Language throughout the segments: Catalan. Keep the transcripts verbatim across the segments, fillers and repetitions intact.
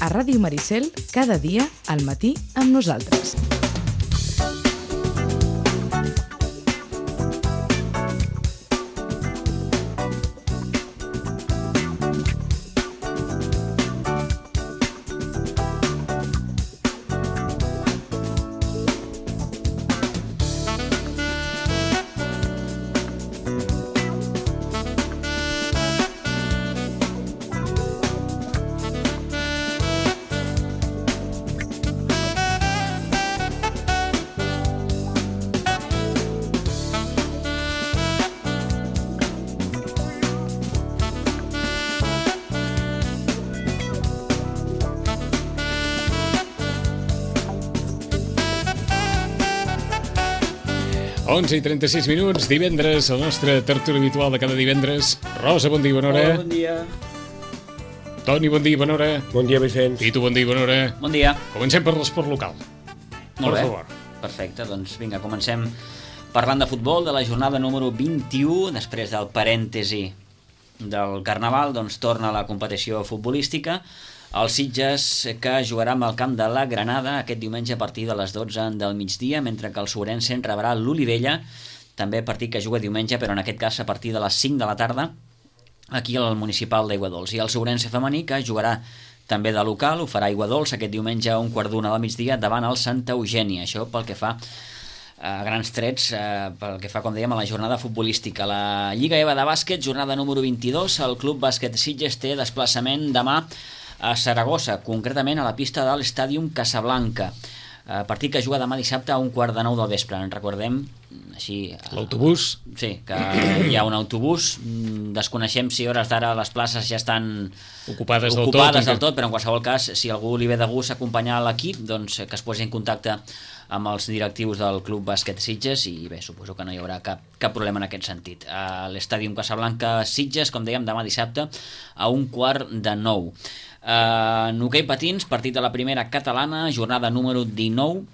a Ràdio Maricel, cada dia al matí amb nosaltres. onze i trenta-sis minuts, divendres, el nostre tertúlia habitual de cada divendres. Rosa, bon dia i bona hora. Hola, bon dia. Toni, bon dia i bona hora. Bon dia, Vicenç. Pitu, bon dia i bona hora. Bon dia. Comencem per l'esport local. Molt per bé. favor. Perfecte, doncs vinga, comencem parlant de futbol, de la jornada número vint-i-u, després del parèntesi del Carnaval, doncs torna a la competició futbolística. El Sitges, que jugarà amb el camp de la Granada aquest diumenge a partir de les dotze del migdia, mentre que el Sobrense rebrà l'Olivella, també partit que juga diumenge, però en aquest cas a partir de les cinc de la tarda, aquí al municipal d'Aiguadols. I el Sobrense femení, que jugarà també de local, ho farà a Aiguadols aquest diumenge a un quart d'una del migdia davant el Santa Eugènia. Això pel que fa a grans trets, eh, pel que fa, com dèiem, a la jornada futbolística. La Lliga EVA de bàsquet, jornada número vint-i-dos, el Club Bàsquet Sitges té desplaçament demà a Saragossa, concretament a la pista de l'Estàdium Casablanca. Eh, partit que juga demà dissabte a un quart de nou del vespre. En recordem, així... L'autobús? Sí, que hi ha un autobús. Desconeixem si a hores d'ara les places ja estan ocupades, ocupades del, tot, del tot, però en qualsevol cas, si algú li ve de gust acompanyar l'equip, doncs que es posi en contacte amb els directius del Club Bàsquet Sitges i bé, suposo que no hi haurà cap, cap problema en aquest sentit. A l'Estàdium Casablanca Sitges, com dèiem, demà dissabte a un quart de nou. Uh, en hoquei patins, partit de la primera catalana, jornada número dinou.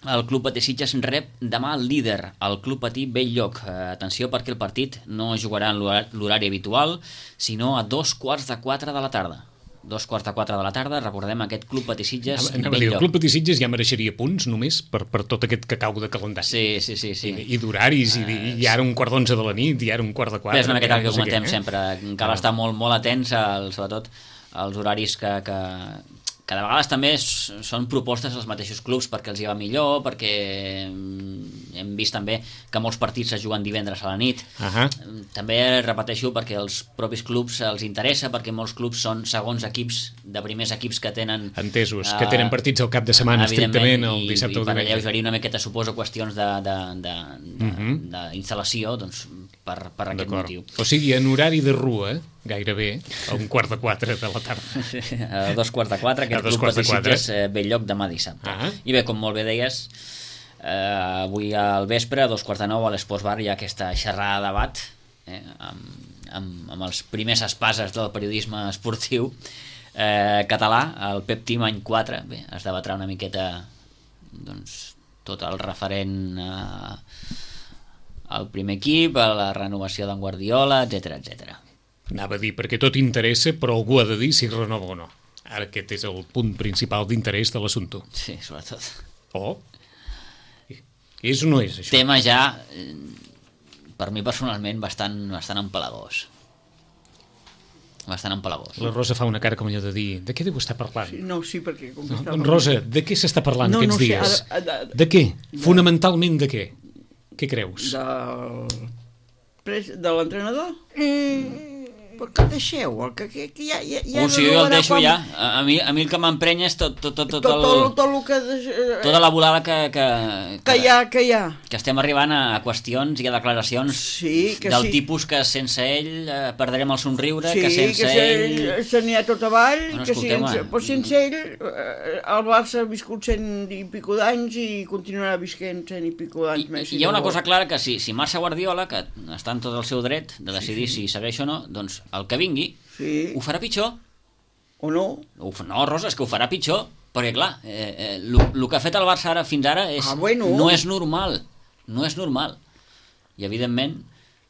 El Club Patí Sitges rep demà el líder, el Club Patí Bell-lloc. Uh, atenció, perquè el partit no jugarà en l'horari habitual, sinó a dos quarts de quatre de la tarda. Dos quarts de quatre de la tarda, recordem aquest Club Patí Sitges Bell-lloc. El Club Patí Sitges ja mereixeria punts només per, per tot aquest cacau de calendari. Sí, sí, sí. sí. I, i d'horaris, uh, i, i ara un quart d'onze de la nit, i ara un quart de quatre. És una miqueta el que no sé comentem què, eh? sempre. Cal ah. estar molt, molt atents, al, sobretot els horaris que, que, que de vegades també són propostes dels mateixos clubs perquè els hi va millor, perquè hem vist també que molts partits es juguen divendres a la nit. Uh-huh. També repeteixo perquè els propis clubs els interessa, perquè molts clubs són segons equips, de primers equips que tenen... Entesos, uh, que tenen partits al cap de setmana estrictament el dissabte o diumenge. I per alleugerir una miqueta, suposo, qüestions d'instal·lació, doncs per, per aquest D'acord. motiu. O sigui, en horari de rua, gairebé, a un quart de quatre de la tarda. A dos quarts de quatre, aquest Club Patí Sitges eh, Bell-lloc demà dissabte. Uh-huh. I bé, com molt bé deies, eh, avui al vespre, a dos quarts de nou, a l'Esports Bar hi ha aquesta xerrada de debat eh, amb, amb, amb els primers espases del periodisme esportiu eh, català, el Pep Team any quatre. Bé, es debatrà una miqueta doncs, tot el referent a al primer equip, a la renovació d'en Guardiola, etcètera, etcètera. Anava a dir, perquè tot interessa, però algú ha de dir si renova o no. Ara aquest és el punt principal d'interès de l'assumpte. Sí, sobretot. Oh, és o no és, això? Tema ja, per mi personalment, bastant, bastant empalagós. Bastant empalagós. La Rosa fa una cara com allò de dir, de què deu estar parlant? Sí, no, sí, perquè... Com no, estava... Rosa, de què s'està parlant no, aquests no sé, dies? ara, ara, de què? De... Fonamentalment de què? Què creus? Del... de l'entrenador? Mm. Per què deixeu? Que, que, que ja, ja, ja oh, no sí, jo el deixo com... ja. A, a, mi, a mi el que m'emprenya és tot, tot, tot, tot, tot, el, tot, tot el que... De... tota la volada que, que, que, que hi ha, que hi ha. Que estem arribant a qüestions i a declaracions sí, que del sí. tipus que sense ell eh, perdrem el somriure, sí, que sense que ell... Sí, se n'hi ha tot avall, bueno, que sense, però sense ell eh, el Barça ha viscut cent i pico d'anys i continuarà visquent cent i pico d'anys I, més. I hi ha una cosa clara, que si, si Marca Guardiola, que està en tot el seu dret de decidir sí, sí. si segueix o no, doncs el que vingui sí. ho farà pitjor. O no? No, Rosa, és que ho farà pitjor, perquè clar, eh, eh, el que ha fet el Barça ara fins ara és, ah, bueno. no és normal, no és normal. I evidentment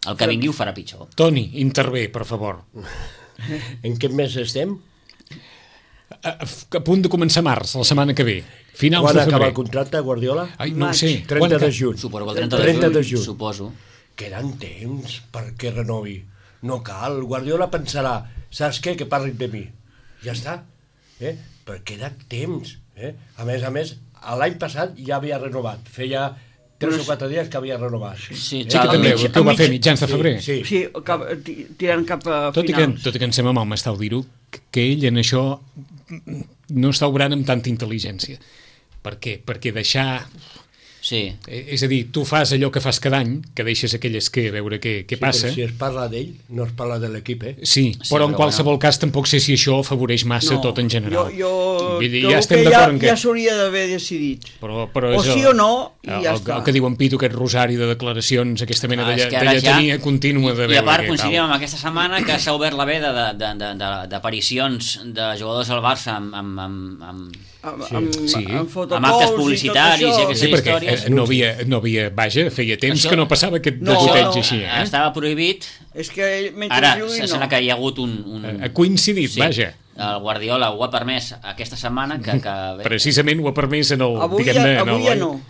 el que vingui ho farà pitjor. Toni, intervé, per favor. En què mes estem? a, a punt de començar març, la setmana que ve. Finals Quan de febrer. acaba el contracte, Guardiola? Ai, no ho Maig. sé. trenta Quan de juny. Suposo que el trenta, trenta de, de juny, juny. suposo. Queden temps perquè renovi. No cal. Guardiola pensarà, saps què? Que parlin de mi. Ja està. Eh? Però queda temps. Eh? A més a més, l'any passat ja havia renovat. Feia tres o quatre dies que havia renovat. Sí, Sí, eh? que també, mig- que ho va mig- fer mitjans de febrer. Sí, sí. Sí, cap, ti- tirant cap a Tot i, que, finals. tot i que em sembla mal m'està dir-ho, que ell en això no està obrant amb tanta intel·ligència. Per què? Perquè deixar... Sí. Eh, És a dir, tu fas allò que fas cada any, que deixes aquelles que a veure què, què Sí, passa. però si es parla d'ell, no es parla de l'equip, eh? Sí, Sí, però en però qualsevol cas tampoc sé si això afavoreix massa No, tot en general. Jo, jo Vull dir, trobo ja estem que d'acord en ja, que... ja s'hauria d'haver decidit. Però, però O és sí el- o no, i el, ja el, està. el que diu en Pitu, aquest rosari de declaracions, aquesta mena Clar, de, és que lla- ara de lletania ja- contínua de I veure a part què coincidim tal. amb aquesta setmana que s'ha obert la veda de- de- de- de- d'aparicions de jugadors al Barça amb, amb, amb, amb, Amb, Sí. amb, Sí. amb fotocols Amb actes i tot publicitaris això. i aquestes Sí, perquè històries. eh, no havia, no havia, vaja, feia temps Això- que no passava aquest No, degoteig no, així, eh? Estava prohibit. És que mentre Ara jugui no. sembla que hi ha hagut un... un... Ha coincidit, Sí, vaja. el Guardiola ho ha permès aquesta setmana que... que bé, Precisament ho ha permès en el... Avui, diguem-ne, ja, en el- avui ja no.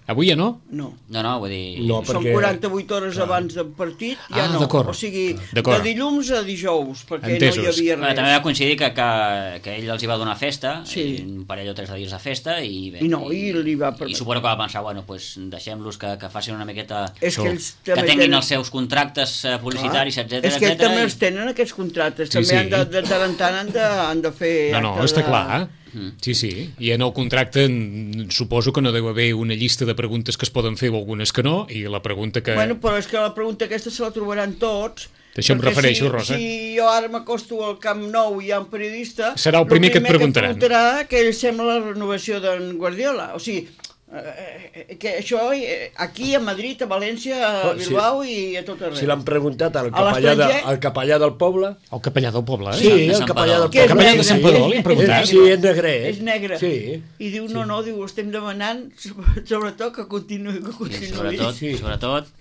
Avui ja no? No. no, no, vull dir... No, Són perquè- quaranta-vuit hores clar. abans del partit, ja Ah, no. d'acord. O sigui, D'acord. de dilluns a dijous, perquè Entesos. no hi havia Bé, res. també va coincidir que, que, que ell els hi va donar festa, Sí. i un parell o tres de dies de festa, i bé... I no, i li va I permetre. suposo que va pensar, bueno, pues deixem-los que, que facin una miqueta... És que Això. ells que també tinguin tenen... els seus contractes eh, publicitaris, Clar. etcètera, És que ells etcètera, també i- els tenen, aquests contractes. Sí, també sí. han de, de tant en tant han de, han de fer... No, no, acte està de- clar. Eh? Sí, sí. I en el contracte mm, suposo que no deu haver una llista de preguntes que es poden fer o algunes que no, i la pregunta que... Bueno, però és que la pregunta aquesta se la trobaran tots. D'això em perquè refereixo, si, Rosa. Si jo ara m'acosto al Camp Nou i hi ha un periodista... Serà el primer que et preguntaran. El primer que et preguntarà que ell sembla la renovació d'en Guardiola. O sigui, eh, que això eh, aquí a Madrid, a València, a Oh, sí. Bilbao i a tot arreu. Si l'han preguntat al A capellà, de, l'estranger? al capellà del poble... El capellà del poble, eh? Sí, de el Sant capellà del Padó. Que és poble. capellà de negre, Sant Padó, li han és- preguntat? és Sí, és negre, eh? És negre. Sí. I diu, no, no, diu, estem demanant sobretot que continuï, que i continuï. sobretot, Sí. sobretot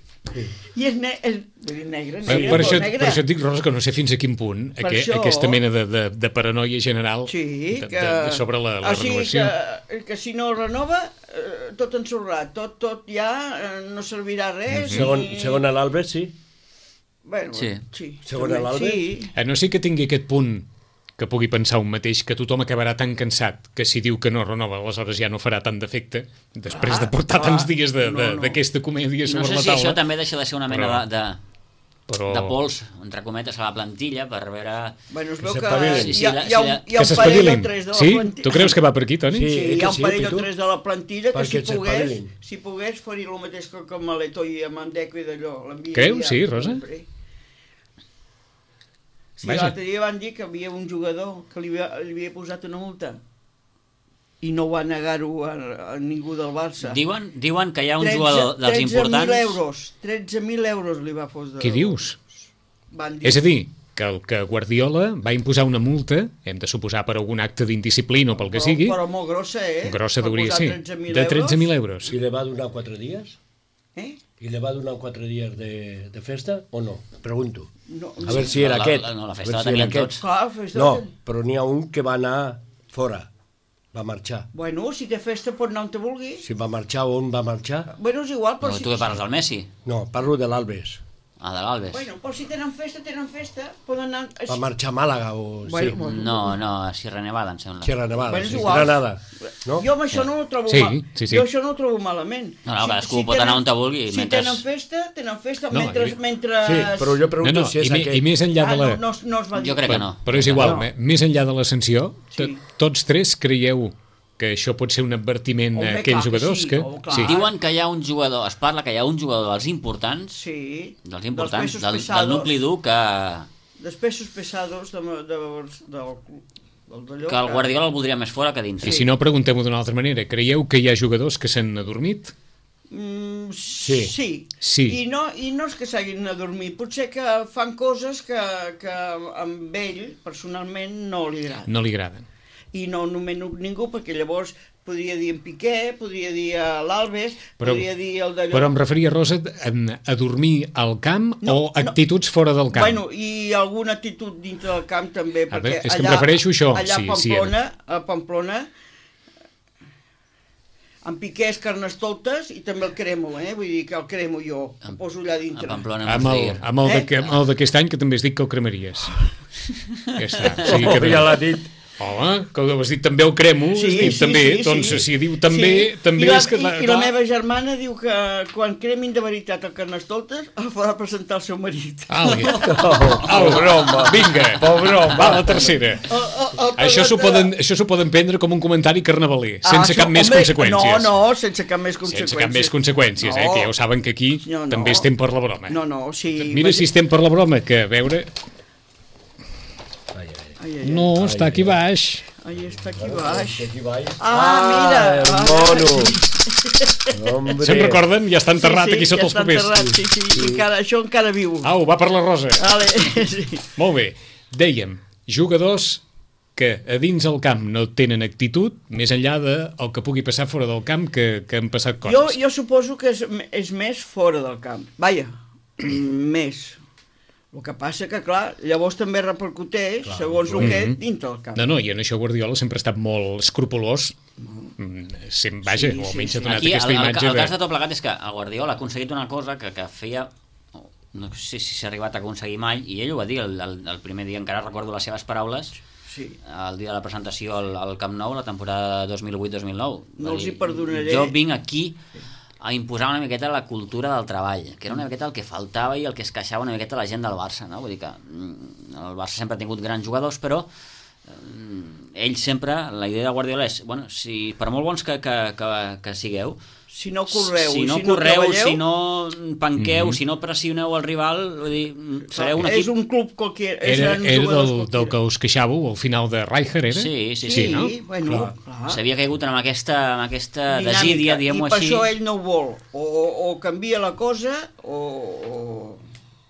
I és, ne és, vull dir, negre, Per, negre, per, però això, negre. per això et dic, Rosa, que no sé fins a quin punt Per aqu això- aquesta mena de, de, de paranoia general Sí, de, que... de, de sobre la, la o sigui, renovació. que, que si no renova, eh, tot ensorrat, tot, tot ja eh, no servirà res. Segon, i... segon a l'Albert, sí. Bueno, Sí. sí. Segon també, a l'Albert? Sí. A no sé que tingui aquest punt que pugui pensar un mateix, que tothom acabarà tan cansat que si diu que no renova, aleshores ja no farà tant d'efecte, després Clar, de portar clar. tants dies de- No, de- no. d'aquesta comèdia no sobre sé la si això taula. també deixa de ser una mena Però- de, de, Però... de pols, entre cometes, a la plantilla per veure... Bueno, es Que veu que s'espavilin. hi Sí, sí, ha, la- hi ha un, sí, la- hi ha Que un parell o s'espavilin. tres de la Sí? plantilla. Tu creus que va per aquí, Toni? Sí. Sí, hi ha que un sí, parell o Pitu. tres de la plantilla que Perquè si pogués, s'espavilin. si pogués faria el mateix que amb Maleto i amb Mandeco i d'allò. l'enviaria Creus? Sí, Rosa? sempre. Sí, Vaja. l'altre dia van dir que havia un jugador que li havia, li havia posat una multa i no va negar-ho a, a ningú del Barça. Diuen, diuen que hi ha un jugador dels importants... tretze mil euros, tretze mil euros li va posar. Què dius? Van dir. És a dir, que, el, que Guardiola va imposar una multa, hem de suposar per algun acte d'indisciplina o pel que però, sigui, Però molt grossa, eh? grossa Per hauria posar ser, tretze mil de tretze mil euros. I li va donar quatre dies? Eh? I li va donar quatre dies de, de festa o no? Pregunto. No, A veure si era la- aquest. la- no, la A festa veure la si era tenien aquest. tots. Clar, festa No, ten- però n'hi ha un que va anar fora. Va marxar. Bueno, si té festa pot anar on te vulgui. Si va marxar o on va marxar? Bueno, és igual, però No, si... tu que parles del Messi? No, parlo de l'Albes. Ah, de l'Albes. Bueno, però si tenen festa, tenen festa. Poden anar... Va marxar a Màlaga o... Bueno, sí. bueno. No, no, a Sierra Nevada, em sembla. Sierra Nevada, Bueno, és sí. igual. Granada. No? Jo amb això no ho trobo Sí, mal. sí, sí. Jo això no ho trobo malament. No, no, cadascú pot anar on te vulgui, Si mentre- tenen festa, tenen festa. No, mentre, i- mentre... Sí, però jo No, pregunto no, si és i, me, aquest. i més enllà Ah, de la... no, no, no es va dir. Jo crec que no. Però és igual, No. me- més enllà de la sanció, to- Sí. tots tres creieu que això pot ser un advertiment Home, a aquells clar que jugadors sí, que... oh, clar. sí. Diuen que hi ha un jugador, es parla que hi ha un jugador dels importants, Sí. dels importants, pesos del, del pesados, nucli dur que, Dels pesos pesados de, de, de, del, del d'allò. que el Guardiola el voldria més fora que dins. I si no, preguntem-ho d'una altra manera. Creieu que hi ha jugadors que s'han adormit? Mm, Sí. sí. Sí. I no, I no és que s'hagin a dormir, potser que fan coses que, que amb ell, personalment, no li agraden. No li agraden. I no nomeno ningú, perquè llavors podria dir en Piqué, podria dir a l'Alves, Però- podria dir el d'allò... Però em referia, Rosa, a, a dormir al camp No, o actituds fora del camp? Bueno, i alguna actitud dintre del camp també, A perquè veure, és que em allà, refereixo a això, allà sí, a sí, Pamplona, a Pamplona, en Piqué és carnestoltes i també el cremo, eh? Vull dir que el cremo jo, el poso allà A dintre. Pamplona Amb el, Murcia. amb el, Eh? de, amb el d'aquest any, que també has dit que el cremaries. Ja està. Sí, Oh, que ja l'ha dit. Home, que ho has dit també el cremo, Sí, has dit sí, també, sí, doncs sí. si diu també, Sí. també I la, és que... I, i la meva germana diu que quan cremin de veritat el carnestoltes el farà presentar el seu marit. Au, Oh, broma. vinga, Broma. va, la tercera. El, el, el Això s'ho presentarà- poden, això s'ho poden prendre com un comentari carnavaler, Ah, sense això, cap més home, conseqüències. No, no, sense cap més conseqüències. Sense cap més conseqüències, eh? No. Que ja ho saben que aquí No, no. també estem per la broma. No, no, sí... Mira si estem per la broma, que a veure... Ai, ai, Ai, ai, ai. No, està aquí baix. Ai, està aquí baix. Aquí baix. Ah, mira. el Ah, mono. Hombre. Se'n recorden? Ja està enterrat aquí sota ja els està papers. enterrat, sí, sí, sí. Encara, això encara viu. Au, va per la Rosa. Vale, sí. Molt bé. Dèiem, jugadors que a dins el camp no tenen actitud, més enllà del que pugui passar fora del camp, que, que han passat Jo, coses. jo suposo que és, és més fora del camp. Vaja, més. El que passa que, clar, llavors també repercuteix, clar, segons el que Mhm. dintre del camp. No, no, i en això Guardiola sempre ha estat molt escrupolós. Mm, Sempre, vaja, Sí, o sí, almenys sí. ha donat Aquí el, aquesta el, imatge el de... cas de tot plegat és que el Guardiola ha aconseguit una cosa que, que feia, no sé si s'ha arribat a aconseguir mai, i ell ho va dir el, el, el primer dia, encara recordo les seves paraules, Sí. el dia de la presentació al, al Camp Nou, la temporada dos mil vuit dos mil nou. No Va els dir, hi perdonaré. Jo vinc aquí a imposar una miqueta la cultura del treball, que era una miqueta el que faltava i el que es queixava una miqueta la gent del Barça, no? Vull dir que mm, el Barça sempre ha tingut grans jugadors, però eh, ell sempre, la idea de Guardiola és, bueno, si per molt bons que, que, que, que sigueu, Si no correu, si no si no correu, treballeu, si no panqueu, si no pressioneu el rival, vull dir, sereu un és equip... un club qualsevol. Era, era del, del que us queixàveu al final de Rijkaard, era? Sí, sí, Sí, sí. no? bueno, Clar. clar. S'havia caigut amb aquesta, amb aquesta Dinàmica, desídia, diguem-ho I per així. això ell no ho vol. O, o, o canvia la cosa, o... o...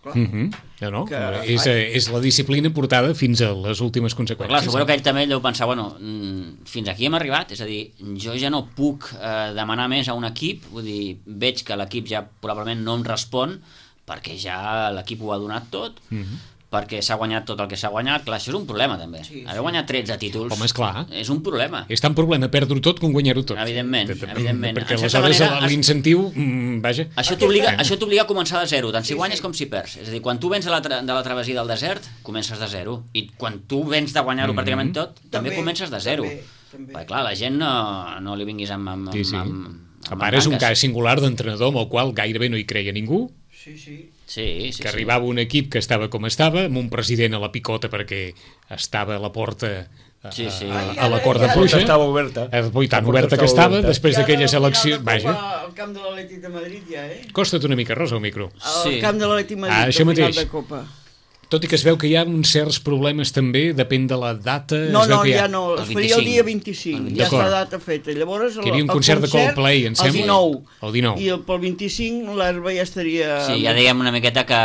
Clar. Mm -hmm. No, no, Que- és, eh, és la disciplina portada fins a les últimes Però clar, conseqüències. suposo que ell també deu pensar, bueno, mm, fins aquí hem arribat, és a dir, jo ja no puc eh, demanar més a un equip, vull dir, veig que l'equip ja probablement no em respon, perquè ja l'equip ho ha donat tot, Mm -hmm. perquè s'ha guanyat tot el que s'ha guanyat, clar, això és un problema també. Sí, Haver sí. guanyat tretze títols Home, esclar. és un problema. És tan problema perdre-ho tot com guanyar-ho tot. Evidentment, evidentment. Perquè En certa aleshores manera, l'incentiu, mm, vaja... Això t'obliga Eh. això t'obliga a començar de zero, tant si Sí, guanyes sí. com si perds. És a dir, quan tu vens de la, tra de la travessia del desert, comences de zero. I quan tu vens de guanyar-ho Mhm. pràcticament tot, també, També, comences de zero. també, també. Perquè, clar, la gent no, no li vinguis amb, amb, Sí, sí. amb, amb, A amb part, és un mancances. cas singular d'entrenador amb el qual gairebé no hi creia ningú, Sí, sí. Sí, sí, que sí. arribava un equip que estava com estava, amb un president a la picota perquè estava a la porta a, Sí, sí. a, a la corda Ja, ja, fluixa. Estava oberta. Eh, Oi, tan La porta oberta que estava estava, oberta. després d'aquella selecció... Vaja. Vaja, Al camp de l'Atlètic de Madrid ja, eh? costa't una mica, Rosa, el micro. Al Sí. camp de l'Atlètic de Madrid, Ah, això al final mateix. de Copa. Tot i que es veu que hi ha uns certs problemes també, depèn de la data... No, es veu no, que hi ha... ja no, El es faria el dia vint-i-cinc. vint-i-cinc, ja D'acord. està data feta. Llavors, el, Que hi havia un el concert de Coldplay, em sembla. El dinou. El dinou. I el, pel vint-i-cinc l'herba ja estaria... Sí, ja dèiem una miqueta que,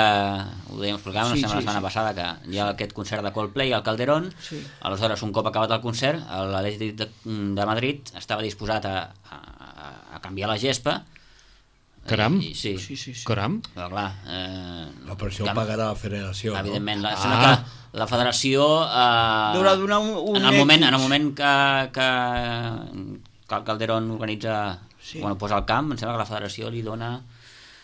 ho dèiem explicar, no Sí, sé, sí, la setmana sí. passada, que hi ha aquest concert de Coldplay al Calderón, Sí. aleshores, un cop acabat el concert, l'Atlètic de, de Madrid estava disposat a, a, a canviar la gespa. Caram. I, sí, Sí, sí, sí. Caram. però clar... Eh, No, però això ho cam- pagarà la federació, Evidentment, la, Ah. sembla que la federació... Eh, Deurà donar un, un en el moment, en el X. moment que, que, que el Calderón organitza, Sí. bueno, posa el camp, em sembla que la federació li dona,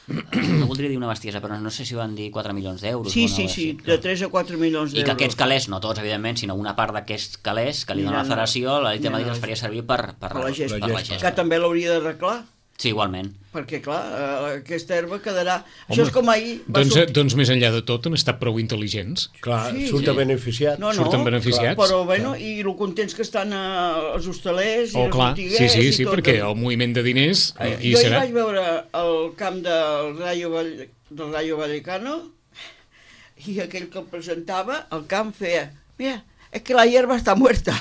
eh, no voldria dir una bestiesa, però no sé si van dir quatre milions d'euros. Sí, o una sí, cosa sí, així. de tres a quatre milions I d'euros. que aquests calés, no tots, evidentment, sinó una part d'aquests calés que li dona la Aniran- federació, la Lita de Madrid aniran els faria servir per, per, per la gespa. per la gespa. gespa. Que també l'hauria d'arreglar, Sí, igualment. perquè, clar, eh, aquesta herba quedarà... Home, Això és com ahir... va Doncs, sortir- doncs més enllà de tot han estat prou intel·ligents. Clar, Sí, surt sí. beneficiat. No, no, surten beneficiats. Però, bueno, i el contents que estan eh, els hostalers i Oh, els clar, sí, botiguers sí, i sí, tot. perquè el moviment de diners Eh, hi jo serà. hi vaig veure el camp del Rayo, Valle, del Rayo Vallecano i aquell que el presentava, el camp feia, mira, és que la hierba està muerta.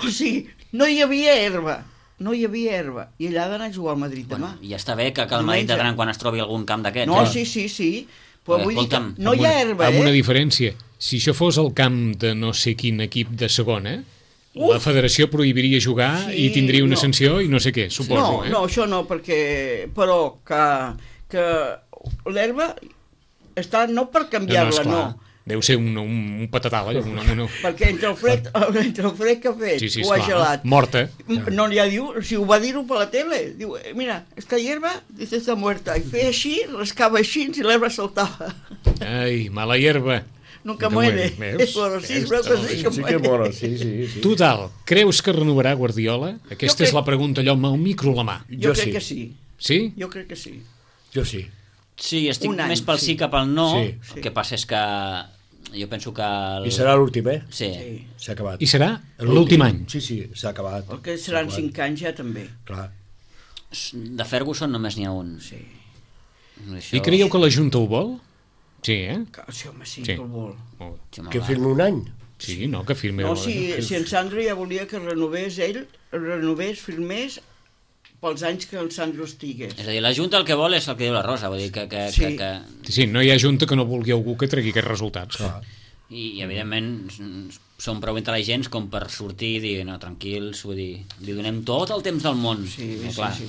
O sigui, no hi havia herba, no hi havia herba. I allà ha d'anar a jugar al Madrid demà. Bueno, ja està bé que, que el Madrid de Diumenge. gran quan es trobi algun camp d'aquests. No, eh? sí, sí, sí. Però Perquè, vull dir que escolta'm, no hi ha herba, amb una eh? diferència. Si això fos el camp de no sé quin equip de segona, la federació prohibiria jugar Sí, i tindria una no. sanció i no sé què, suposo. No, eh? no, això no, perquè... Però que, que l'herba està no per canviar-la, no. esclar. Deu ser un, un, un patatal, allò, una, una... Perquè entre el fred, entre el fred que ha fet, Sí, sí, ho ha esclar, gelat. morta. No li ha diu, si ho va dir-ho per la tele, diu, eh, mira, esta hierba dice está muerta. I feia així, rascava així i l'herba saltava. Ai, mala hierba. Nunca Nunca muere. muere, veus? Bueno, sí, Veus? veu que sí que Sí que muere. mola, sí, sí, sí. Total, creus que renovarà Guardiola? Aquesta Jo és la crec- pregunta, allò amb el micro a la mà. Jo Jo crec sí. que sí. Sí? Jo crec que sí. Jo sí. Sí, estic Un any, més pel sí sí. que pel no. Sí. El que passa és que jo penso que... El... I serà l'últim, eh? Sí. Sí. S'ha acabat. I serà l'últim any. Sí, sí, s'ha acabat. El que seran S'ha acabat. cinc anys ja també. Clar. De Ferguson només n'hi ha un. Sí. Això... I creieu que la Junta ho vol? Sí, eh? Que, sí, home, sí, Sí. que el vol. Molt bé. Sí, home, Que va. firmi un any. Sí, no, que firmi... No, si, si en Sandro ja volia que renovés ell, renovés, firmés pels anys que el Sandro estigués. És a dir, la Junta el que vol és el que diu la Rosa, vull dir que... que, Sí. que, que... Sí, no hi ha Junta que no vulgui algú que tregui aquests resultats. Clar. I, i evidentment són prou intel·ligents com per sortir i dir, no, tranquils, vull dir, li donem tot el temps del món. Sí, I, sí, clar, sí.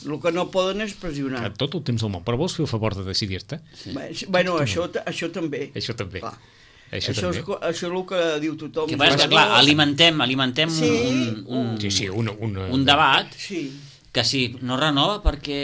El que no poden és pressionar. Que tot el temps del món. Però vols fer el favor de decidir-te? Bé, Bueno, això, ta- això també. Això també. Clar. Això, Això, és, també. co- això és el que diu tothom. que passa és que, clar, alimentem, alimentem Sí, un, un, Sí, sí, una... una... un debat Sí. que sí, no renova perquè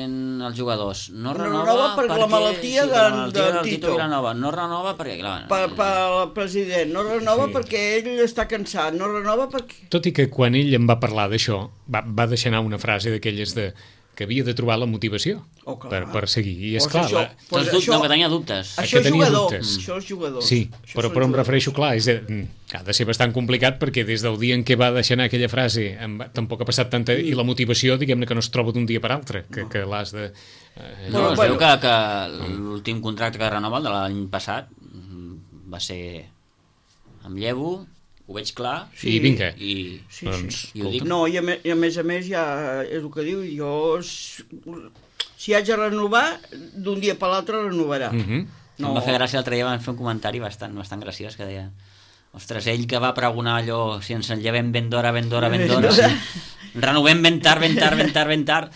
els jugadors, no No renova, renova per la malaltia per de- la malaltia de del Tito. Tito Vilanova, no renova perquè, clar, Per, per el president. No renova Sí. perquè ell està cansat. No renova perquè... Tot i que quan ell em va parlar d'això, va, va deixar anar una frase d'aquelles de que havia de trobar la motivació Oh, clar. per, per seguir. I és Pues clar, això- la... pues doncs, això- no, que tenia dubtes. Ah, Això que és tenia jugador. dubtes. Això és jugador. Sí, Això però, són però em jugadors. refereixo, clar, és de, mm, que ha de ser bastant complicat perquè des del dia en què va deixar anar aquella frase em va, tampoc ha passat tanta... I la motivació, diguem-ne, que no es troba d'un dia per altre, que, que l'has de... Eh, No, es bueno. veu que, que l'últim contracte que renova, el de l'any passat, mm, va ser amb Llevo, ho veig clar, Sí. I vinga. i, Sí, Doncs, sí. i ho dic. No, i a, me, i a més a més ja és el que diu, jo s- si haig de renovar, d'un dia per l'altre renovarà. Mhm. No. Em va fer gràcia l'altre dia, van fer un comentari bastant, bastant graciós que deia, ostres, ell que va pregonar allò, si ens en llevem ben d'hora, ben d'hora, ben d'hora, Sí. renovem ben tard, ben tard, ben tard, ben tard.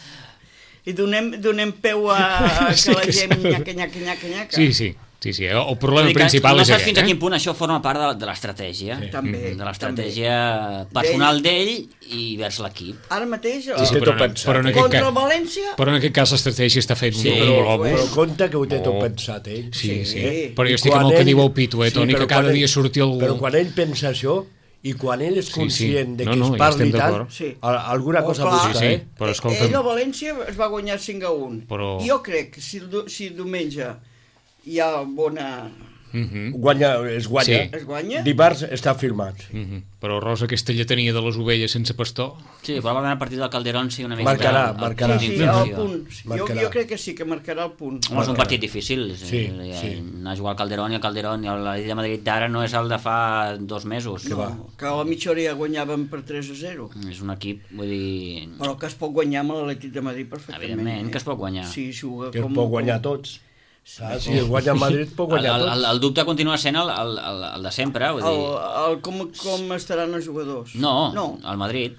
I donem, donem peu a, a que Sí, la que gent sembla- nyaca, nyaca, nyaca, nyaca. Sí, sí, sí, sí. El problema Vull dir que principal no és saps aquest, fins a eh? quin punt això forma part de, de l'estratègia, Sí. També, de l'estratègia personal d'ell i vers l'equip. Ara mateix, Sí, el- sí, però, tot no, pensat, però, en eh? aquest contra el cas, València... però en aquest cas l'estratègia està fent Sí, un però, globus. però compte que ho té tot Oh. pensat ell. Sí, sí. Sí. Però jo I estic amb quan el que ell- diu el Pitu, eh, Toni, però que cada quan dia ell- surti algú... Però quan ell pensa això, i quan ell és Sí, sí. conscient de No, que no, es ja parli estem tant, d'acord. Sí. a- alguna Oh, cosa clar. busca, Sí, sí. eh? Però escolta'm- Ell a València es va guanyar cinc a un. Però- Jo crec que si, el du- si diumenge hi ha bona... Mhm. Guanya, es guanya. Sí. Es guanya? Dimarts està firmat. Mhm. Però Rosa, aquesta lletania de les ovelles sense pastor... Sí, probablement el partit del Calderón sí una mica... Marcarà, el- el marcarà. punt Sí, sí, d'inflexió. el punt. Jo, Marcarà. jo crec que sí, que marcarà el punt. Home, és un partit difícil. Sí, Sí, sí. Anar a jugar al Calderón i al Calderón i a la Lliga de Madrid d'ara no és el de fa dos mesos. Que va. No, que a la mitja hora ja guanyaven per tres a zero. És un equip, vull dir... Però que es pot guanyar amb l'Atlètic de Madrid perfectament. Evidentment eh? que es pot guanyar. Sí, juga Que es com... pot guanyar tots. Saps? Si es guanya a Madrid, pot El, guanyar el, el, tots. el dubte continua sent el, el, el, el de sempre, vull El, dir... el, com, com estaran els jugadors? No, No. el Madrid.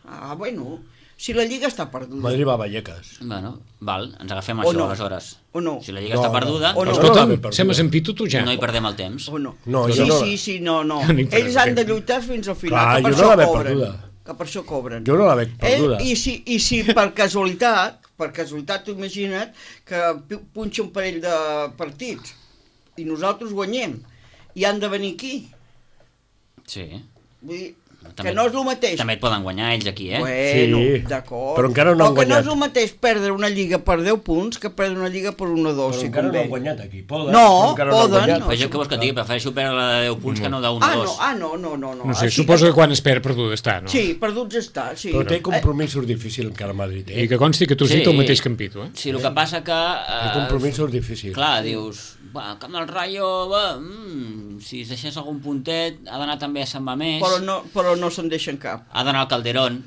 Ah, bueno, si la Lliga està perduda. Madrid va a Vallecas. Bueno, val, ens agafem O això, no. aleshores. O no. Si la Lliga No, està no. perduda, O no. Però Escolta'm, l'ha perduda. sem en Pitu tu ja. no hi perdem el temps. O no? No, sí, jo no- sí, sí, no, no. No hi perdem Ells han de temps. lluitar fins al final, Clar, que per jo no això la veig cobren. perduda. Que per això cobren. Jo no la veig perduda. Eh? I, si, I si per casualitat, per casualitat, tu imagina't que pu- punxa un parell de partits i nosaltres guanyem i han de venir aquí. Sí. Vull dir, També- que no és el mateix. També et poden guanyar ells aquí, eh? Bueno, Sí, d'acord. però encara no han Però que no guanyat. és el mateix perdre una lliga per deu punts que perdre una lliga per un o dos, Però si encara no convé. han guanyat aquí. Poden, No, però encara no han poden, guanyat. no. Però jo què vols que et digui? Prefereixo perdre la de deu punts que no de un o Ah, no, dos. ah, no, no, no. No, No sé, Així- suposo que quan es perd perduda està, no? Sí, perduts està, sí. Però té Eh, compromisos difícils encara a Madrid, eh? I que consti que tu has Sí. dit el mateix que en Pitu, eh? Sí, el que passa que... Té Eh, compromisos difícils. clar, dius, va, el camp del Rayo, va, mm, si es deixés algun puntet, ha d'anar també a Sant Mamés, Però no, però no se'n deixen cap. ha d'anar al Calderón,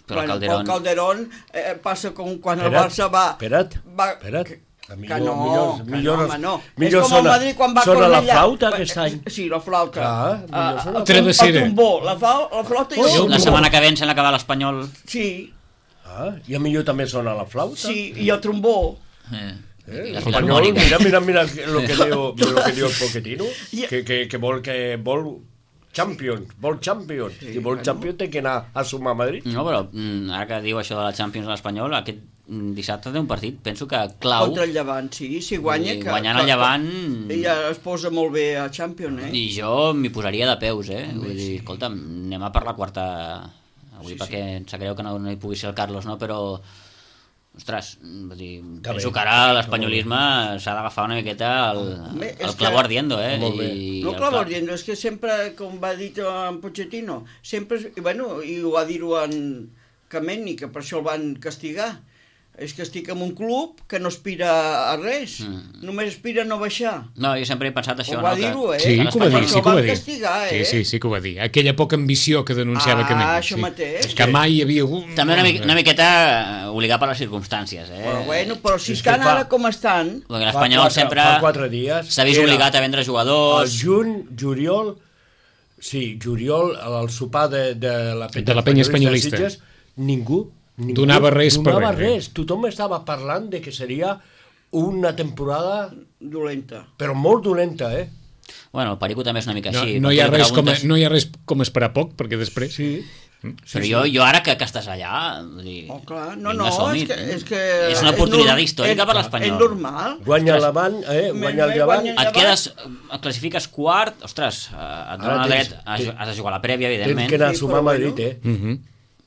però el Bueno, Calderón... El Calderón eh, passa com quan el Espera't, Barça va... espera't, va espera't. que- Que no, millors, que millors, no, home, no. millors És com el sona- Madrid quan va sona la Cornellà. flauta aquest any. Sí, la flauta. Clar, millor Ah, sona la el, Travessera. el trombó, la, fa- la flauta i el Ui, trombó. La setmana que ve ens sembla que va l'Espanyol. Sí, Ah, i a millor també sona la flauta. sí, i el trombó. Eh, Eh, I la Espanyol, filharmònica. mira, mira, mira lo que diu, lo que diu el Pochettino, I- que, que, que vol que vol Champions, vol Champions. Sí, Si vol bueno. Champions té que anar a sumar a Madrid. No, però mm, ara que diu això de la Champions a l'Espanyol, aquest mm, dissabte té un partit, penso que clau. Contra el Llevant, sí, si guanya... I Que, guanyant el que- Llevant- que Ja es posa molt bé a Champions, eh? I jo m'hi posaria de peus, eh? Vull dir, escolta'm, anem a per la quarta... Avui Sí, perquè em sap greu que no, no hi pugui ser el Carlos, no? Però, ostres, vull dir, Que penso bé. que ara l'espanyolisme s'ha d'agafar una miqueta el, Home, és el que- clavo ardiendo, eh? Molt bé. I No el clavo cla- ardiendo, és que sempre, com va dir en Pochettino, sempre, i bueno, i ho va dir-ho en Kameni, que per això el van castigar, és que estic en un club que no aspira a res, Mm. només aspira a no baixar. No, jo sempre he pensat això, Ho va no? Que- dir-ho, eh? Sí, que que ho va dir, l'Espanyol- sí que ho va van dir. castigar, eh? Sí, sí, sí que ho va dir. Aquella poca ambició que denunciava Ah, que això mateix. Que mai hi havia hagut... També una, mica, una miqueta eh, obligat per les circumstàncies, eh? Però bueno, però si És que estan fa- ara com estan, Perquè l'Espanyol Fa quatre- sempre fa quatre dies s'ha vist era obligat a vendre el jugadors. juny, juliol, sí, juliol, al sopar de, de la De la penya espanyolista. de Sitges, ningú, ningú Donava res per donava res, eh? res. Tothom estava parlant de que seria una temporada, dolenta. però molt dolenta, eh? Bueno, el Perico també és una mica No, així. no, quan hi ha tu li res com a, preguntes- no hi ha res com esperar poc, perquè després... Sí. Però jo, jo ara que, que estàs allà... Vull dir, Oh, clar, no, vinga, no, som-hi, és que, eh? és que... És una oportunitat norm- històrica és- per l'Espanyol. És normal. Guanya el Llevant, eh? Me- Guanya el me Llevant. guanya- Et quedes, et classifiques quart, ostres, eh, et dona Ara tens- dret, has, tens- has de jugar la prèvia, Tens evidentment. que anar a Sí, sumar a però Madrid, bueno. eh? Mhm.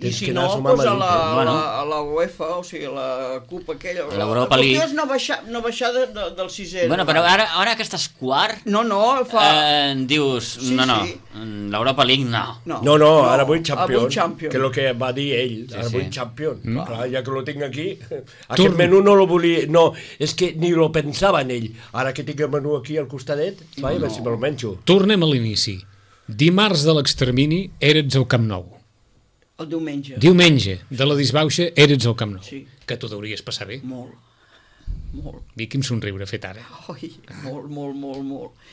I Tens si que no, anar a sumar a doncs a Madrid, la, eh? Bueno. la, a la UEFA, o sigui, la CUP aquella... L'Europa la League. qüestió és no baixar, no baixar de, de, del sisè. Bueno, però ara, ara que estàs quart, No, no, fa... eh, dius, Sí, no, no, sí. l'Europa League no. No, No, no, ara vull ara Champions, vull Champions. que és el que va dir ell, Sí, ara sí. vull Champions. Mm. Clar, ja que lo tinc aquí, aquest Torn- menú no lo volia, no, és que ni lo pensava en ell. Ara que tinc el menú aquí al costadet, vai, a veure si me'l menjo. Tornem a l'inici. Dimarts de l'extermini eres al Camp Nou. El diumenge. Diumenge de la disbauxa eres al Camp Nou. Sí. Que t'ho deuries passar bé. Molt, molt. Vi quin somriure fet ara. Oi, molt, molt, molt, molt.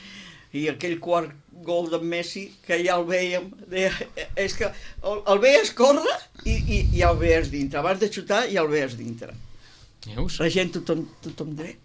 I aquell quart gol de Messi, que ja el veiem, deia, és que el, el veies córrer i, i ja el veies dintre. Abans de xutar ja el veies dintre. Veus? La gent tothom, tothom dret.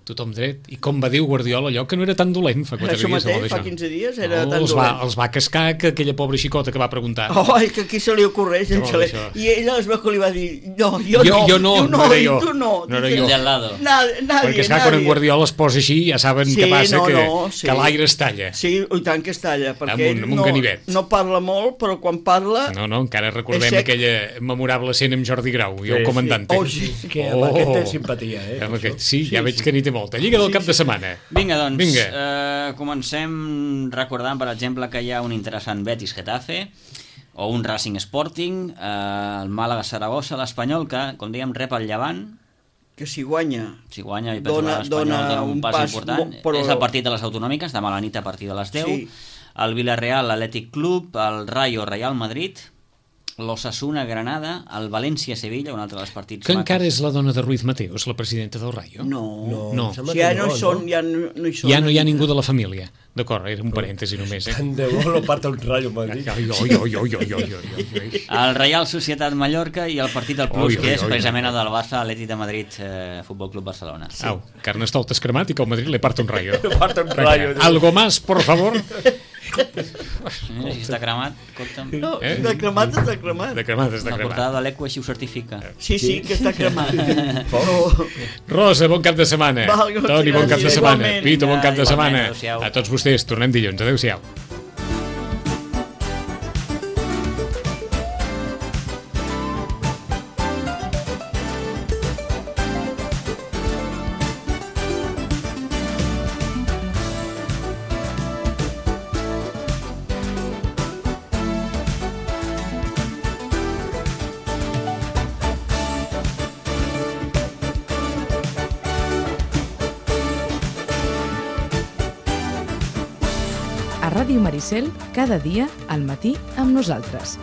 Tothom dret. I com va dir Guardiola, allò que no era tan dolent fa quatre Això dies. mateix, allò fa d'això. quinze dies, era no, tan els va, dolent. els va cascar que aquella pobra xicota que va preguntar. Oh, que aquí se li ocorreix, No, no, se li... això. I ella es veu que li va dir, no, jo, Jo- no, jo no, tu no era i jo. tu no. No era Dice, jo. El de al lado. Nadie, nadie, Perquè esclar, quan en nadie. Guardiola es posa així, ja saben Sí, què passa, no, que, no, sí. que l'aire es talla. Sí, i tant que es talla, perquè Amb un- ell amb un no, ganivet. no parla molt, però quan parla... No, no, encara recordem És sec. aquella memorable escena amb Jordi Grau i el Sí, comandante. Oh, sí. És que amb aquest té simpatia, eh? Amb això. aquest, sí, Sí, ja veig sí. que n'hi té molta. Lliga del Sí, cap de sí. setmana. Vinga, doncs, Vinga. Eh, comencem recordant, per exemple, que hi ha un interessant Betis-Getafe o un Racing Sporting, eh, el Màlaga-Saragossa, l'Espanyol, que, com dèiem, rep el Llevant. Que si guanya... Si guanya, i penso Dona- que l'Espanyol dona dona un, un pas, pas important. mo- però- És el partit de les autonòmiques, demà a la nit a partir de les deu. Sí. El Villarreal, l'Atlètic Club, el Rayo, Real Madrid, l'Osasuna, Granada, el València-Sevilla, un altre dels partits Que encara macos. és la dona de Ruiz Mateos, la presidenta del Rayo. No, No, No. em sembla si que ja no, no, hi són, no? ja no, no hi són. Ja no hi ha ningú de la família. D'acord, era un parèntesi només, eh? Tant de bo lo parta un rayo Madrid. Ai, oi, oi, oi, oi, oi, oi, oi. El Real Societat Mallorca i el partit del Plus, Oi, oi, que és oi. precisament el del Barça, Atlètic de Madrid, eh, Futbol Club Barcelona. Au, Carnestoltes cremat i que el Madrid le parta un rayo. Parta un rayo. Algo más, por favor? Eh, si està cremat, escolta'm. No, Eh? de cremat està cremat. De cremat, és de La cremat. portada de l'Eco així ho certifica. Sí, sí, que està cremat. Però... Rosa, bon cap de setmana. Val, gràcies. Toni, bon cap de setmana. Igualment. Pito, bon cap de Igualment, setmana. adéu-siau. A tots vostès, tornem dilluns. Adéu-siau. A Ràdio Maricel, cada dia al matí amb nosaltres.